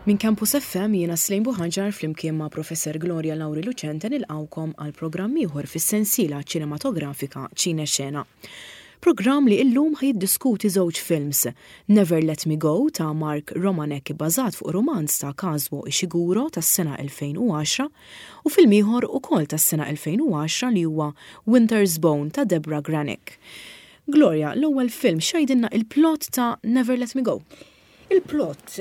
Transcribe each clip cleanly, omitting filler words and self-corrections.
Minn Campus FM jiena Slejn Buħaġar flimkien ma' Professor Gloria Lauri Lucente nilqgħukom għal programm ieħor fis-sensiela ċinematografika Ċine Xena. Programm li illum ħa jiddiskuti żewġ films, Never Let Me Go ta' Mark Romanek ibbażat fuq rumanz ta' Kazuo Ishiguro tas-sena 2010 u film ieħor ukoll tas-sena 2010 li huwa Winter's Bone ta' Debra Granik. Gloria, l-ewwel film x'għidilna il-plot ta' Never Let Me Go? Il-plot,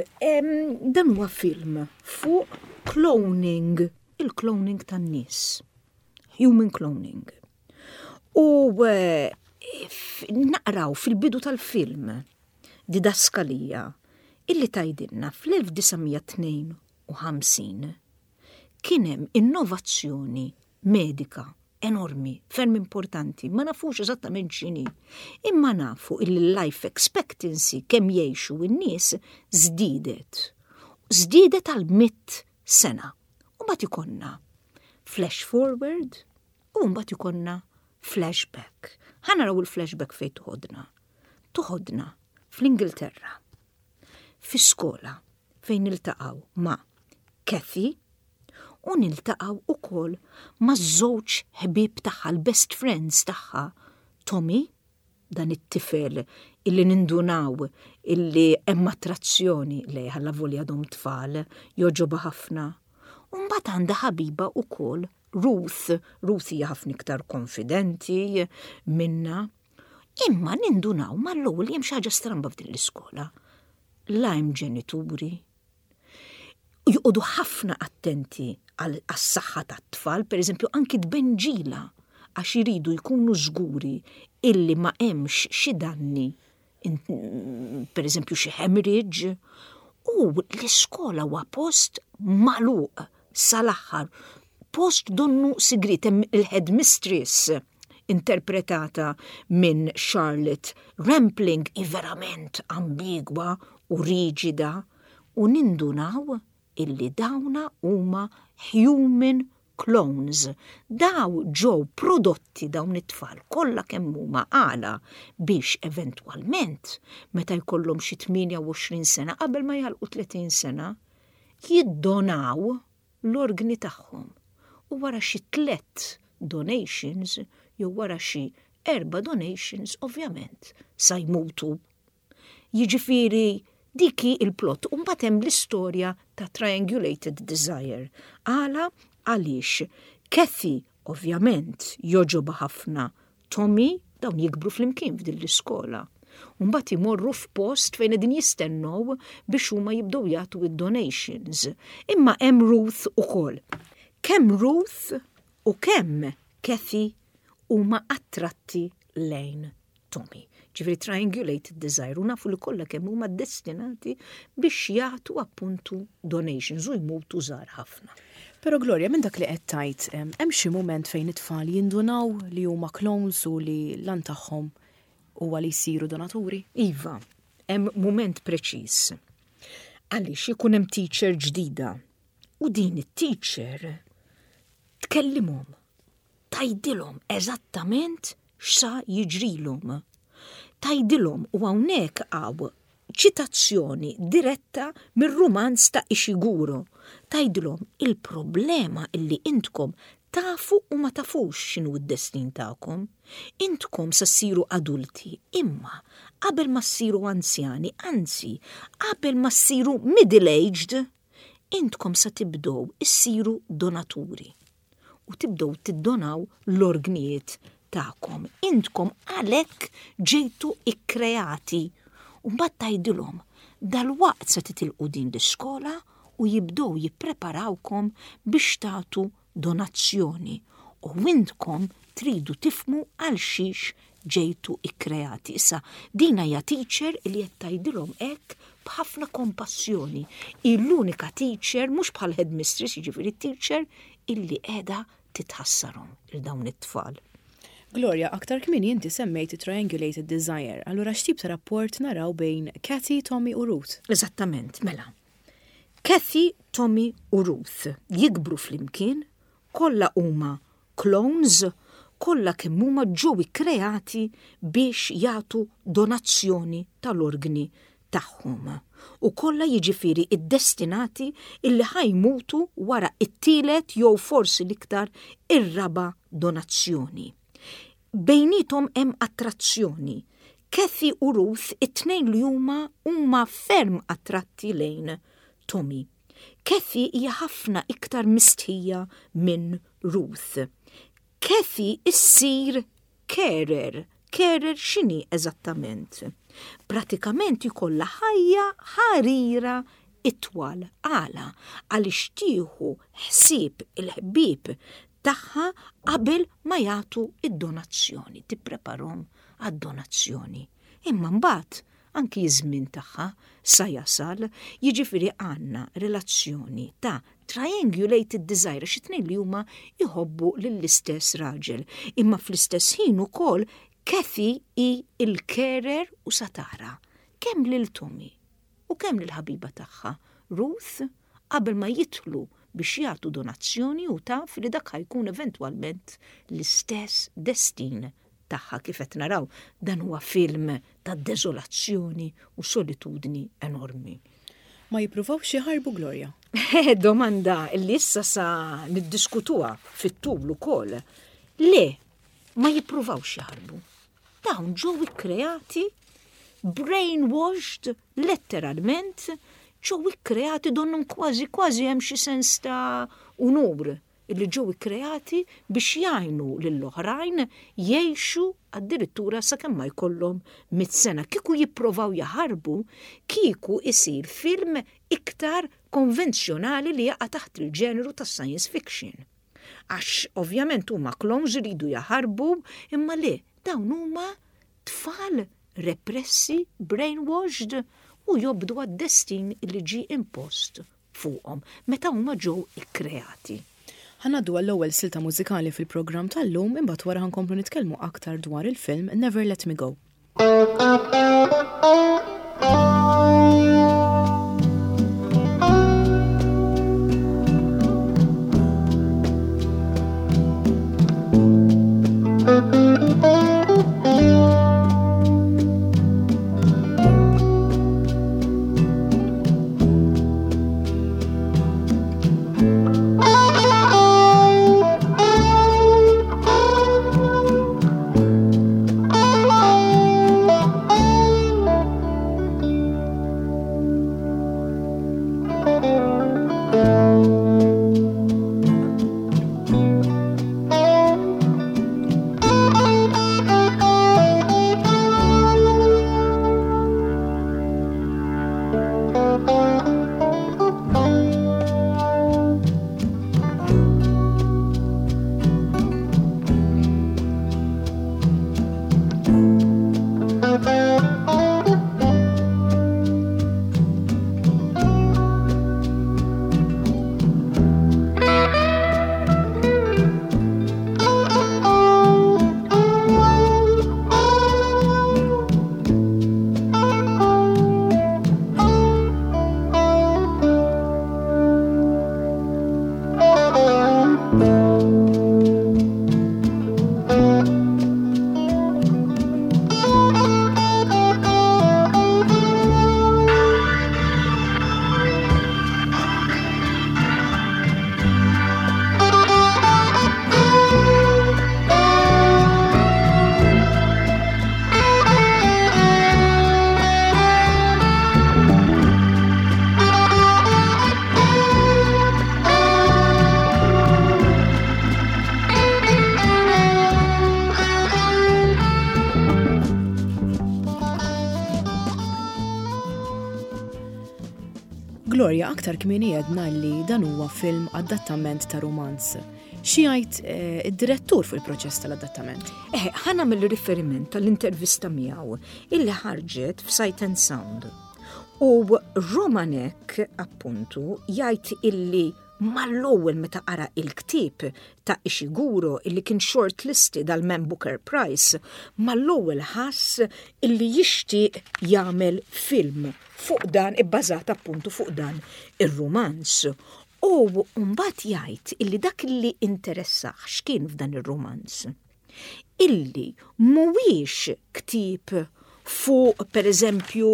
dan huwa film fuq cloning, il-cloning tan-nies. Human cloning. U eh, naqraw fil-bidu tal-film didaskalija illi tajdilna fl-1952 kien hemm innovazzjoni medika enormi, ferm importanti, ma nafux eżattament x'inhi. Imma nafu illi life expectancy kemm jgħixu n-nies żdiedet. Żdiedet għal mit sena. U mbagħad ikollna flash forward u mbagħad ikollna flashback. Ħa naraw il-flashback fejn toħodna. Toħodna fl-Ingilterra. Fi skola fejn niltaqgħu ma' Kathy u niltaqgħu ukoll ma' żewġ ħbieb tagħha, l-best friends tagħha, Tommy dan it-tifel illi nindunaw illi hemm attrazzjoni lejh allavolja għadhom tfal, jogħġobha ħafna. U mbagħad għandha ħabiba wkoll Ruth, Ruth hija ħafna iktar konfidenti minna. Imma nindunaw mal-ewwel li hemm xi ħaġa stramba f'din l-iskola. La hemm ġenituri, joqogħdu ħafna attenti għas-saħħa tat-tfal, pereżempju anki tbenġila għax iridu jkunu żguri illi ma hemmx xi danni, pereżempju xi hemorrhage, u l-iskola huwa post magħluq sal-aħħar, post donnu sigriet hemm il-headmistress interpretata minn Charlotte Rampling hi verament ambigwa u riġida u nindunaw illi dawna huma human clones. Daw ġew prodotti dawn it-tfal kollha kemm huma għala biex eventwalment meta jkollhom xi 28 sena qabel ma jagħlqu 30 sena jiddonaw l-organi tagħhom u wara xi tlett donations jew wara xi erba' donations ovvjament sa jmutu. Jiġifieri dik hi l-plot u mbagħad hemm l-istorja ta' Triangulated Desire. Għala għaliex Kathy ovvjament jogħġobha ħafna Tommy, dawn jikbru flimkien f'din l-iskola. U mbagħad imorru f'post fejn qegħdin jistennew biex huma jibdew jagħtu id-donations. Imma hemm Ruth ukoll. Kemm Ruth u kemm Kathy huma attratti lejn Tommy. Ġifieri triangulated desire u nafu li kollha kemm huma destinati biex jagħtu appuntu donations u jmutu żgħar ħafna. Però Gloria, minn dak li qed tgħid, hemm xi mument fejn it-tfal jindunaw li huma clones u li l-għan tagħhom huwa li jsiru donaturi? Iva, hemm mument preċiż. Għaliex ikun hemm teacher ġdida u din it-teacher tkellimhom Tgħidilhom eżattament x'sa jiġrilhom. Tgħidilhom, u hawnhekk hawn ċitazzjoni diretta mir-rumanz ta' Ishiguro, tgħidilhom il-problema illi intkom tafu u ma tafux x'inhu d-destin tagħkom. Intkom sa ssiru adulti, imma qabel ma ssiru anzjani, anzi, qabel ma ssiru middle-aged, intkom sa tibdew issiru donaturi. u tibdew tiddonaw l-orgnijiet tagħkom. Intkom għalhekk ġejtu ikkreati. U mbagħad tgħidilhom dalwaqt se titilqu din l-iskola u jibdew jippreparawkom biex tagħtu donazzjoni u intkom tridu tifhmu għal xiex ġejtu ikkreati. Issa, din hija teacher li qed tgħidilhom hekk b'ħafna kompassjoni. Hi l-unika teacher, mhux bħal headmistress, jiġifieri teacher illi qiegħda titħassarhom il dawn it-tfal. Gloria, aktar kmieni inti semmejt it-triangulated desire, allura x'tip ta' rapport naraw bejn Kathy, Tommy u Ruth? Eżattament, mela. Kathy, Tommy u Ruth jikbru flimkien, kollha huma clones, kollha kemm huma ġew ikkreati biex jagħtu donazzjoni tal-organi tagħhom. tagħhom u kollha jiġifieri ddestinati illi ħa jmutu wara t-tielet jew forsi l-iktar ir-raba' donazzjoni. Bejniethom hemm attrazzjoni. Kathy u Ruth it-tnejn li huma huma ferm attratti lejn Tommy. Kathy hija ħafna iktar mistħija minn Ruth. Kathy issir carer. Carer x'inhi eżattament? Pratikament jkollha ħajja ħarira itwal. Għala? Għaliex tieħu ħsieb il-ħbieb tagħha qabel ma jagħtu d-donazzjoni, tippreparhom għad-donazzjoni. Imma mbagħad anki ż-żmien tagħha sa jasal, jiġifieri għandna relazzjoni ta' triangulated desire għax it-tnejn li huma jħobbu lill-istess raġel. Imma fl-istess ħin ukoll Kathy hi l-carer u sa tara kemm lil Tommy u kemm lill-ħabiba tagħha Ruth qabel ma jidħlu biex jagħtu donazzjoni u taf li dak ħa jkun eventwalment l-istess destin tagħha kif qed naraw dan huwa film ta' deżolazzjoni u solitudni enormi. Ma jippruvawx jaħarbu Gloria? Domanda li issa sa niddiskutuha fit-tul ukoll. Le, ma jippruvawx jaħarbu. Dawn ġew ikkreati brainwashed letteralment ġew ikkreati donnhom kważi kważi hemm xi sens ta' unur illi ġew ikkreati biex jgħinu lill-oħrajn jgħixu addirittura sakemm ma jkollhom mit sena. Kieku jipprovaw jaħarbu, kieku isir film iktar konvenzjonali li jaqa' taħt il-ġeneru tas-science fiction. Għax ovvjament huma clones iridu jaħarbu, imma le, dawn huma tfal repressi, brainwashed u jobdu għad-destin li ġie impost fuqhom meta huma ġew ikkreati. Ħa ngħaddu għall-ewwel silta mużikali fil-programm tal-lum imbagħad wara ħa nkomplu nitkellmu aktar dwar il-film Never Let Me Go. Gloria, aktar kmieni għedna li dan huwa film adattament ta' romanz. Xi jgħid eh, id-direttur fuq il-proċess tal-adattament? Eh, ħa nagħmel riferiment tal-intervista miegħu illi ħarġet f'Sight and Sound. U Romanek, appuntu, jgħid illi mal-ewwel meta qara il-ktieb ta' Ishiguro illi kien shortlisted għal Man Booker Prize, mal-ewwel ħass illi jixtieq jagħmel film fuq dan ibbażat appuntu fuq dan ir-rumanz. U mbagħad jgħid illi dak li interessah x'kien f'dan ir-rumanz. Illi mhuwiex ktieb fuq pereżempju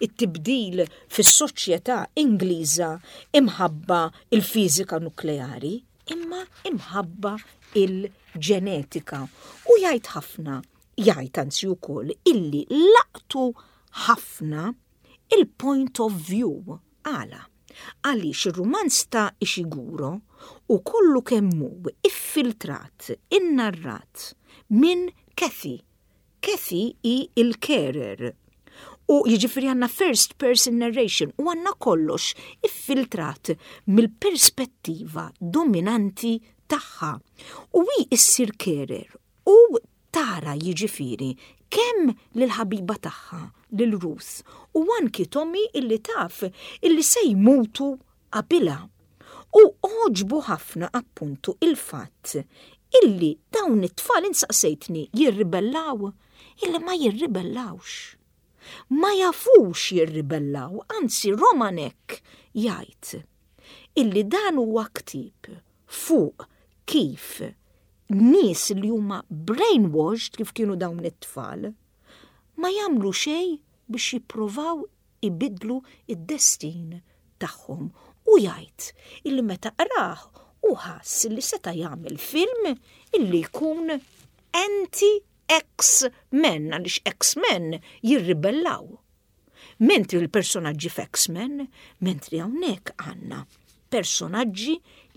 it-tibdil fis-soċjetà Ingliża imħabba il-fiżika nukleari, imma imħabba il-ġenetika. U jgħid ħafna, jgħid anzi wkoll illi laqtu ħafna il-point of view. Għala? Għaliex ir-rumanz ta' Ishiguro hu kollu kemm hu iffiltrat, innarrat minn Cathy. Cathy hi l-carer. U jiġifieri għandna first person narration u għandna kollox iffiltrat mill-perspettiva dominanti tagħha. U hi issir carer u tara jiġifieri kemm lill-ħabiba tagħha, lil Ruth, u anki Tommy illi taf illi se jmutu qabilha. U għoġbu ħafna appuntu il-fatt illi dawn it-tfal int saqsejtni jirribellaw, illi ma jirribellawx. Ma jafux jirribellaw, anzi Romanek jgħid illi dan huwa ktieb fuq kif nies li huma brainwashed kif kienu dawn it-tfal, ma jagħmlu xejn biex jipprovaw ibiddlu d-destin tagħhom. U jgħid illi meta qrah hu ħass li seta' jagħmel film illi jkun anti-X-Men għaliex X-Men jirribellaw. Mentri l-personaġġi f'X-Men, mentri hawnhekk għandna personaġġi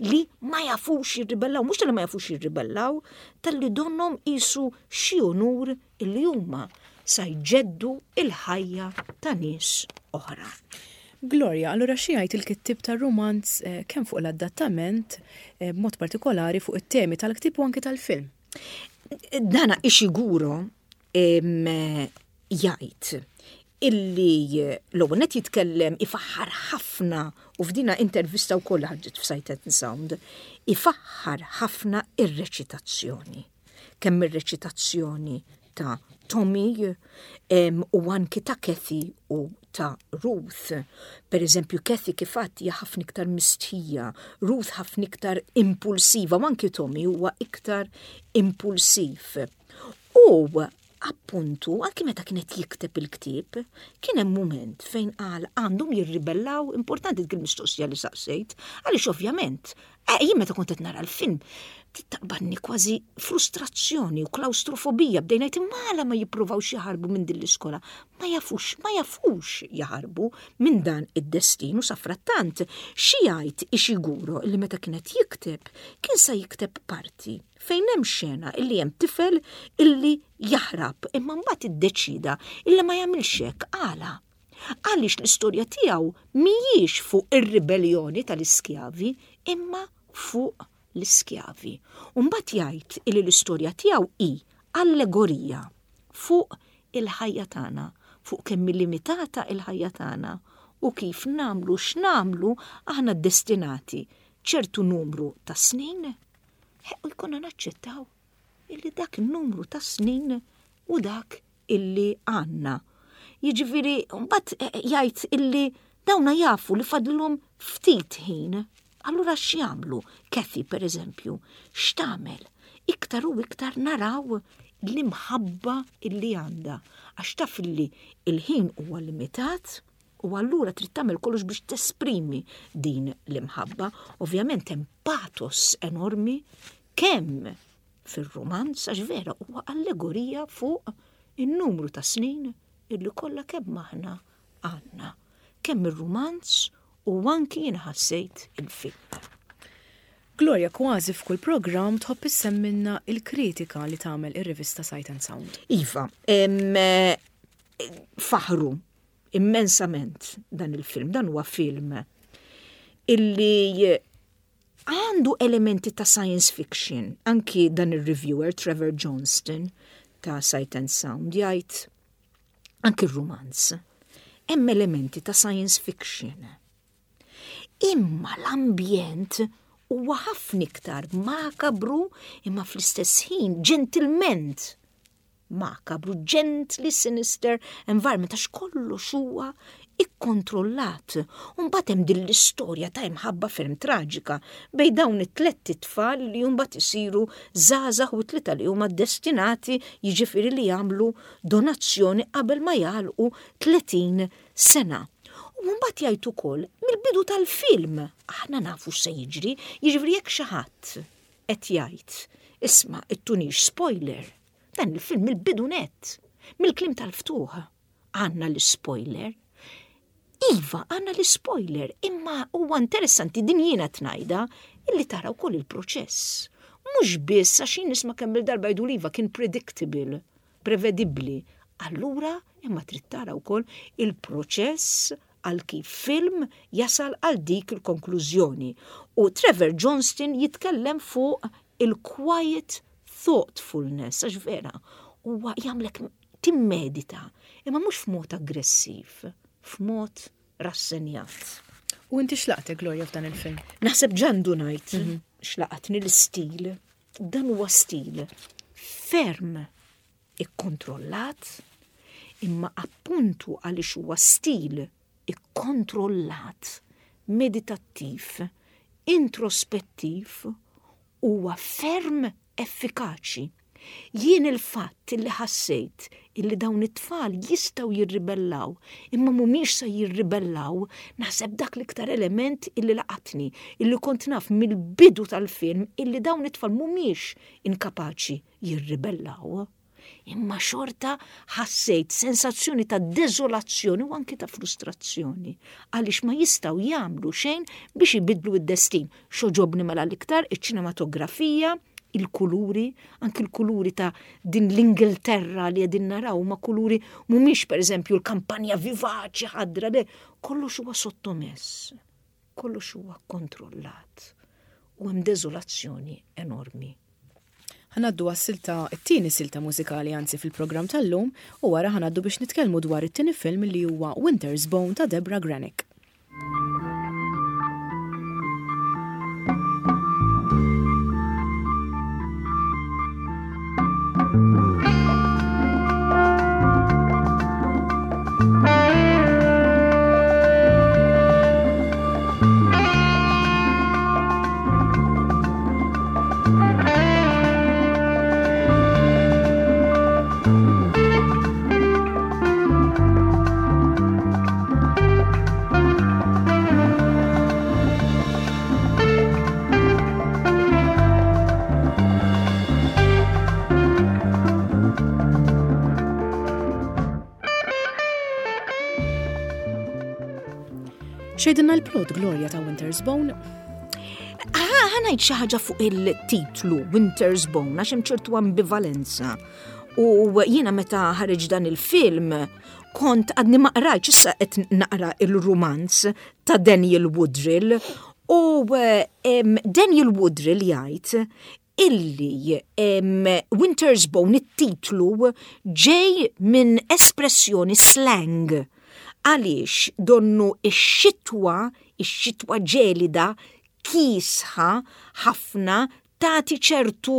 li ma jafux jirribellaw, mhux tal-li ma jafux jirribellaw, tal-li donnom isu xi unur illi huma sa jġeddu il-ħajja ta' nies oħra. Gloria, allura xi jgħid il-kittieb tar-rumanz eh, kemm fuq l-adattament, eh, b'mod partikolari fuq it-temi tal-ktieb u anki tal-film? Dana Ishiguro jgħid illi l-ewwel net jitkellem ifaħħar ħafna u f'dina intervista wkoll ħarġet f'Sight and Sound, ifaħħar ħafna ir-reċitazzjoni. Kemm ir-reċitazzjoni ta' Tommy u anki ta' Kathy u ta' Ruth. Per eżempju, Kathy kif għadt hija ħafna iktar mistħija, Ruth ħafna iktar impulsiva, u anki Tommy huwa iktar impulsiv. U appuntu, anki meta kien qed jikteb il-ktieb, kien hemm mument fejn qal għandhom jirribellaw, importanti dik il-mistoqsija li saqsejt, għaliex ovvjament, eh, jien meta kont qed nara l-film, taqbadni kważi frustrazzjoni u klaustrofobija bdejna ngħid imma għala ma jippruvawx jaħarbu minn din l-iskola. Ma jafux, ma jafux jaħarbu minn dan id-destin u safrattant xi jgħid Ishiguro li meta kien qed jikteb kien sa jikteb parti fejn hemm xena illi hemm tifel illi jaħrab imma mbagħad iddeċida illi ma jagħmilx hekk għala. Għaliex l-istorja tiegħu mhijiex fuq ir-ribellioni tal-iskjavi imma fuq l-iskjavi. U mbagħad jgħid illi l-istorja tiegħu hi allegorija fuq il-ħajja tagħna, fuq kemm hi limitata il-ħajja tagħna u kif nagħmlu x'nagħmlu aħna destinati ċertu numru ta' snin U jkollna naċċettaw illi dak in-numru ta' snin u dak illi għandna. Jiġifieri mbagħad eh, eh, jgħid illi dawna jafu li fadlhom ftit ħin. Allura x'jagħmlu? Kathy pereżempju, x'tagħmel? Iktar u iktar naraw l-imħabba illi għandha għax taf illi il-ħin huwa limitat U allura trid tagħmel kollox biex tesprimi din l-imħabba. Ovvjament hemm patos enormi kemm fir-rumanz għax vera huwa allegorija fuq in-numru ta' snin illi kollha kemm aħna għandna. Kemm ir-rumanz u anki jien ħassejt il-film. Gloria, kważi f'kull programm tħobb issemmilna il-kritika li tagħmel ir-rivista Sight and Sound. Iva, faħru immensament dan il-film. Dan huwa film illi għandu elementi ta' science fiction. Anki dan il-reviewer Trevor Johnston ta' Sight and Sound jgħid anki r-romanz. Hemm elementi ta' science fiction. Imma l-ambjent huwa ħafna iktar makabru imma fl-istess ħin ġentilment makabru, gently sinister environment, għax kollox huwa ikkontrollat. U mbagħad hemm din l-istorja ta' imħabba ferm traġika bejn dawn it-tlett itfal li mbagħad isiru żgħażagħ u t-tlieta li huma destinati jiġifieri li jagħmlu donazzjoni qabel ma jagħlqu 30 sena. U mbagħad jgħid ukoll mill-bidu tal-film aħna nafu x'se jiġri, jiġifieri jekk xi ħadd qed jgħid isma' ittunix spoiler, dan il-film mill-bidu nett, mill-kliem tal-ftuħ għandna l-spoiler. Iva, għandna l-spoiler, imma huwa interessanti din jiena tnajda illi tara wkoll il-proċess. Mhux biss għax jien nisma' kemm il-darba jgħidu iva kien predictable, prevedibbli. Allura imma trid tara wkoll il-proċess għal kif film jasal għal dik il-konklużjoni. U Trevor Johnston jitkellem fuq il-quiet thoughtfulness, għax vera, huwa jagħmlek timmedita, imma mhux f'mod aggressiv, f'mod rassenjat. U inti x'laqtek, Gloria, f'dan il-film? Naħseb ġandu ngħid x'laqatni l-istil. Dan huwa stil ferm ikkontrollat, imma appuntu għaliex huwa stil ikkontrollat, meditattiv, introspettiv, huwa ferm effikaċi. Jien il-fatt illi ħassejt illi dawn it-tfal jistgħu jirribellaw, imma mhumiex se jirribellaw, naħseb dak l-iktar element illi laqatni, illi kont naf mill-bidu tal-film illi dawn it-tfal mhumiex inkapaċi jirribellaw. Imma xorta ħassejt sensazzjoni ta' deżolazzjoni u anki ta' frustrazzjoni għaliex ma jistgħu jagħmlu xejn biex ibiddlu d-destin. X'għoġobni mela l-iktar iċ-ċinematografija, il-kuluri, anki l-kuluri ta' din l-Ingilterra li qegħdin naraw ma' kuluri mhumiex pereżempju l-kampanja vivaċi ħadra le, kollox huwa sottomess, kollox huwa kontrollat u hemm deżolazzjoni enormi. Ħa ngħaddu għas-silta, it-tieni silta mużikali anzi fil-programm tal-lum u wara ħa ngħaddu biex nitkellmu dwar it-tieni film li huwa Winter's Bone ta' Debra Granik. Xejdinna l-plot Gloria ta' Winter's Bone? Ħanajt xi ħaġa fuq il-titlu Winter's Bone għax hemm ċertu ambivalenza. U jiena meta ħareġ dan il-film kont għadni ma qrajtx issa qed naqra il-rumanz ta' Daniel Woodrill u Daniel Woodrill jgħid illi Winter's Bone it-titlu ġej minn espressjoni slang għaliex donnu ix-xitwa, ix-xitwa ġelida, kiesħa ħafna tagħti ċertu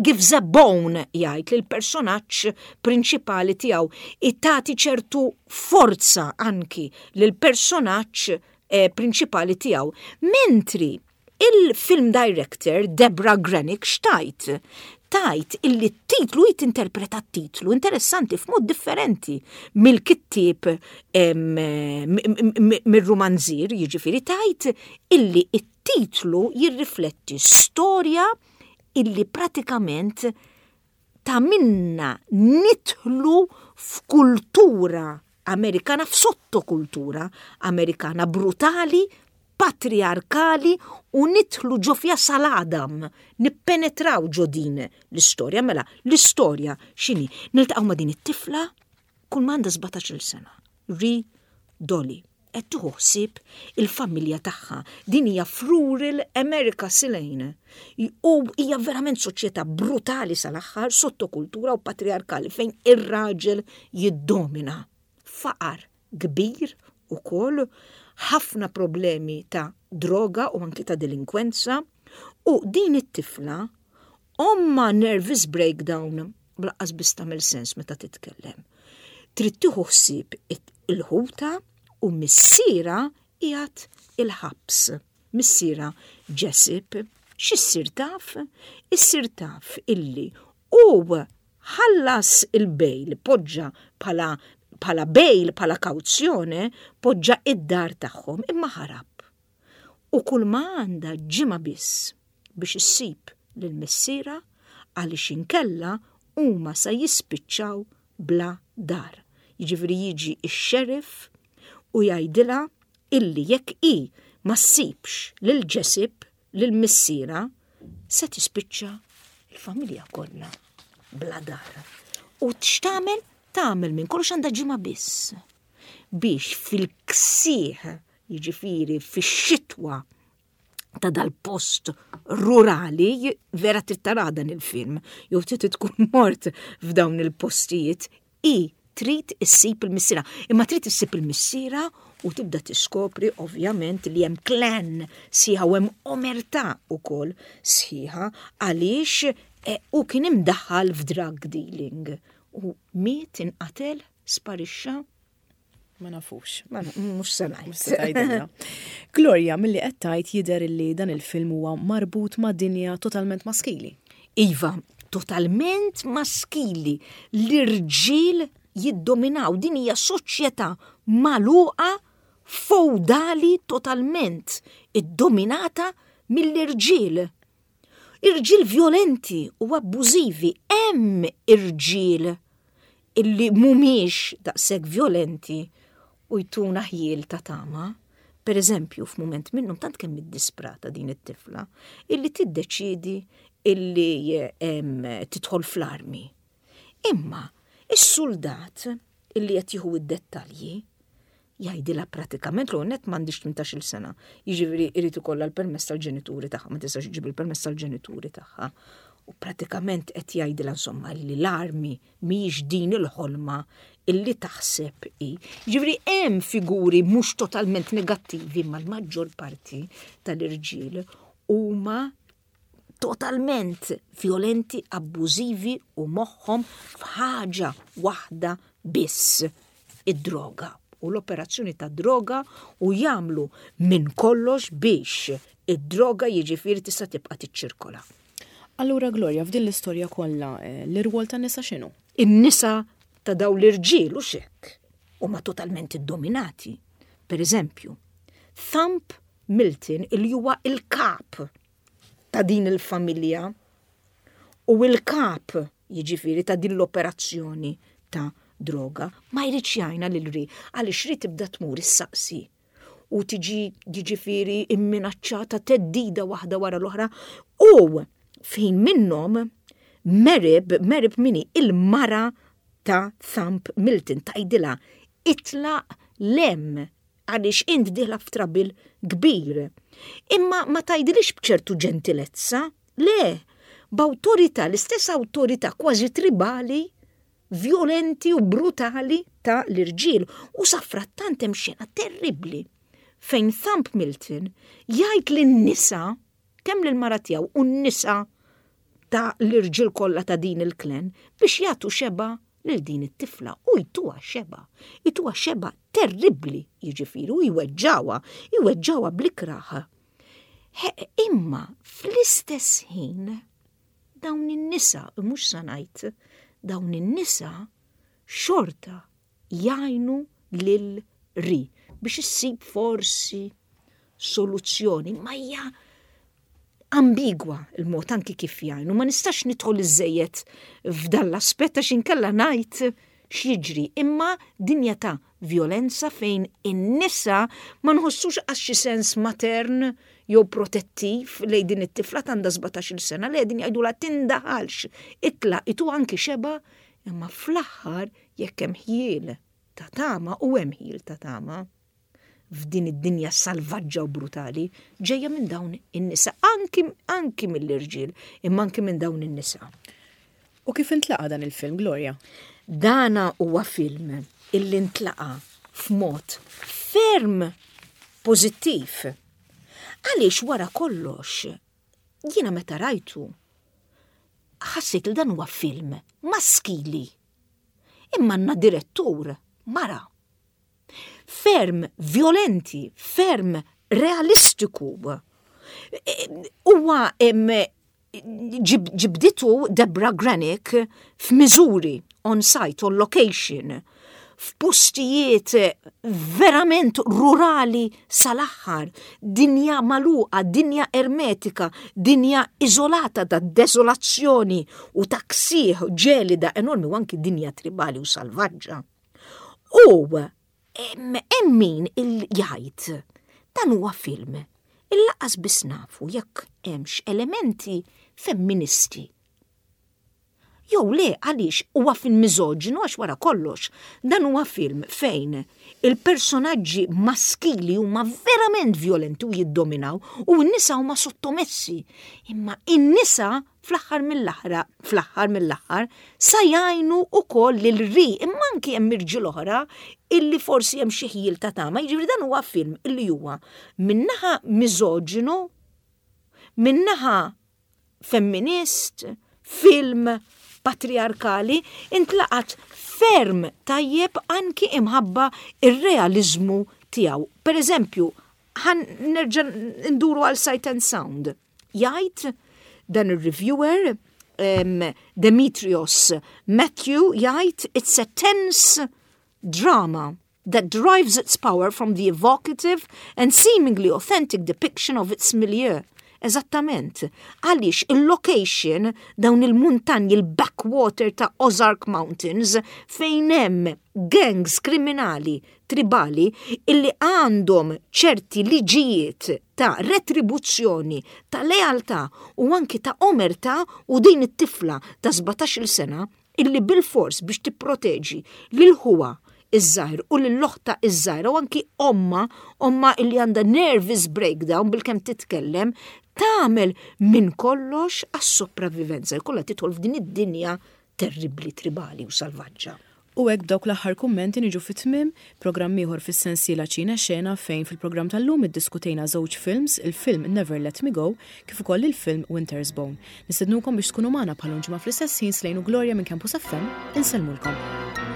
gives a bone jgħid lil personaġġ prinċipali tiegħu, tagħti ċertu forza anki lil personaġġ eh, prinċipali tiegħu. Mentri Il-film director Debra Granik x'tgħid? Tgħid illi t-titlu hi tinterpreta t-titlu interessanti f'mod differenti mill-kittieb mir-rumanzier, jiġifieri tgħid illi t-titlu jirrifletti storja illi pratikament tagħmilna nidħlu f'kultura Amerikana, f'sottokultura Amerikana brutali, patriarkali u nidħlu ġo fiha sal-għadam, nippenetraw ġo din l-istorja. Mela, l-istorja x'inhi? Niltaqgħu ma' din it-tifla kull ma għandha 17-il sena, Ri Dolly. Qed tieħu ħsieb il-familja tagħha. Din hija f'rural America Silane. U hija verament soċjetà brutali sal-aħħar, sottokultura u patriarkali fejn ir-raġel jiddomina. Faqar kbir ukoll, ħafna problemi ta' droga u anki ta' delinkwenza. U din it-tifla ommha nervous breakdown b'laqqas biss tagħmel sens meta titkellem. Trid tieħu ħsieb il-ħuta. U missierha qiegħed il-ħabs. Missierha Jessup. X'issir taf? Issir taf illi hu ħallas il-bail, poġġa bħala bħala bail, bħala kawzjone, poġġa id-dar tagħhom imma ħarab. U kull ma għandha ġimgħa biss biex issib lil missierha għaliex inkella huma sa jispiċċaw bla dar. Jiġifieri jiġi x-sheriff u jgħidilha illi jekk hi ma ssibx lil Jessup, lil missierha, se tispiċċa l-familja kollha bla dar. U x'tagħmel? Tagħmel minn kollox għandha ġimgħa biss biex fil-ksieħ, jiġifieri fix-xitwa ta' dal-post rurali, vera trid tara dan il-film, jew trid tkun mort f'dawn il-postijiet, i trid issib il-missiera. Imma trid issib il-missiera u tibda tiskopri ovvjament li hemm klan sħiħa u hemm omertà ukoll sħiħa għaliex eh, u kien imdaħħal f'drug dealing u miet inqatel sparixxa Ma nafux. Mhux se ngħid. Gloria, milli qed tgħid jidher li dan il-film huwa marbut ma' dinja totalment maskili. Iva, totalment maskili. L-irġiel jiddominaw. Din hija soċjetà magħluqa feudali totalment iddominata mill-irġiel. Irġiel vjolenti u abbużivi, hemm irġiel illi mhumiex daqshekk vjolenti u jtuna ħjiel ta' tama. Per eżempju, f'mument minnhom tant kemm iddisprata din it-tifla illi tiddeċiedi illi tidħol fl-armi. Imma is-suldat illi qed jieħu id-dettalji jgħidilha pratikament l net m'għandix 18-il sena. Jiġifieri irid ikollha l-permess tal-ġenituri tagħha, ma tistax iġib il-permess tal-ġenituri tagħha. U pratikament qed jgħidilha insomma li l-armi mhijiex din il-ħolma illi taħseb hi. Jiġifieri hemm figuri mhux totalment negattivi ma l-maġġor parti tal-irġiel huma totalment violenti, abbużivi u moħħhom f'ħaġa waħda biss, id-droga u l-operazzjoni ta' droga u jagħmlu minn kollox biex id-droga jiġifieri tista' tibqa' tiċċirkola. Allura Gloria, f'din l-istorja kollha, eh, l-irwol tan-nisa x'inhu? In-nisa ta' daw l-irġiel u xek huma totalment iddominati. Per eżempju, Thump Milton il huwa il-kap ta' din il-familja u il-kap jiġifieri ta' din l-operazzjoni ta' droga ma jridx jgħinha lil Ri għaliex Ri tibda tmur issaqsi u tiġi jiġifieri imminaċċata theddida waħda wara l-oħra u fejn minnhom Merib, Merib mini il-mara ta' Thump Milton tgħidilha itlaq lem għaliex int dieħla f'trabil kbir. Imma ma tgħidilhiex b'ċertu ġentilezza, le, b'awtorità, l-istess awtorità kważi tribali, vjolenti u brutali ta' l-irġiel. U safrattant hemm xena terribbli fejn Thump Milton jgħid lin-nisa, kemm lill-mara tiegħu u n-nisa ta' l-irġiel kollha ta' din il-klan biex jagħtu xebgħa lil din it-tifla u jtuha xebgħa, jtuha xebgħa terribbli jiġifieri u jweġġgħuha, jweġġgħuha bl-ikrah. Imma fl-istess ħin dawn in-nisa, mhux sa ngħid, dawn in-nisa xorta jgħinu lil Ri biex issib forsi soluzzjoni, ma hija ambigwa il-mod anki kif jgħinu, ma nistax nidħol iżejjed f'dan l-aspett għax inkella ngħid x'jiġri, imma dinja ta' vjolenza fejn in-nisa ma nħossux għax xi sens matern jew protettiv lejn din it-tifla għandha 17-il sena li qegħdin jgħidulha tindaħalx, itlaq itu anki xeba, imma fl-aħħar jekk hemm ħjiel ta' tama u hemm ħjiel ta' tama f'din id-dinja salvaġġa u brutali ġejja minn dawn in-nisa, anki, anki mill-irġiel, imma anki minn dawn in-nisa. U kif intlaqa dan il-film, Gloria? Dana huwa film illi ntlaqa f'mod ferm pożittiv. Għaliex wara kollox, jiena meta rajtu, ħassejt li dan huwa film maskili. Imma għandna direttur mara. ferm violenti, ferm realistiku. Huwa ġibditu Debra Granik f'Missouri, on site, on location, f'postijiet verament rurali sal-aħħar, dinja magħluqa, dinja ermetika, dinja iżolata ta' desolazzjoni u ta' ksieħ ġelida enormi u anki dinja tribali u salvaġġa. U hemm min il jgħid dan huwa film il-laqas biss nafu jekk hemmx elementi femministi. Jew le, għaliex huwa film miżoġinu, għax wara kollox dan huwa film fejn il-personaġġi maskili huma verament violenti u jiddominaw u n-nisa huma sottomessi. Imma in-nisa fl-aħħar mill-aħra fl-aħħar mill-aħħar sa jgħinu ukoll lil Ri, imma anki hemm irġiel oħra illi forsi hemm xi ħjiel ta' tama. Jiġifieri dan huwa film illi huwa minnaħa miżoġinu, minnaħa femminist, film patriarkali, intlaqat ferm tajjeb anki imħabba ir-realizmu tiegħu. Per eżempju, ħa nerġa' nduru għal Sight and Sound. Jgħid dan ir-reviewer Demetrios Matthew, jgħid, "It's a tense drama that derives its power from the evocative and seemingly authentic depiction of its milieu." Eżattament, għaliex il-location, dawn il-muntanji, il-backwater ta' Ozark Mountains, fejn hemm gangs kriminali tribali illi għandhom ċerti liġijiet ta' retribuzzjoni, ta' lealtà u anki ta' omertà, u din it-tifla ta' 17 sena illi bil-fors biex tipproteġi lil ħuha iż-żgħir u lil oħtha iż-żgħira u anki omma, omma illi għandha nervous breakdown bil-kemm titkellem, tagħmel minn kollox għas-sopravivenza. Jkollha tidħol f'din id-dinja terribli, tribali u salvaġġa. U hekk, b'dawk l-aħħar kummenti, niġu fit-tmiem programm ieħor fis-sensiela Ċine Xena, fejn fil-programm tal-lum iddiskutejna żewġ films, il-film Never Let Me Go kif ukoll il-film Winter's Bone. Nistednukom biex tkunu magħna bħal ġimgħa fl-istess ħin. Slejnu Gloria minn Campus FM, insellmulkom.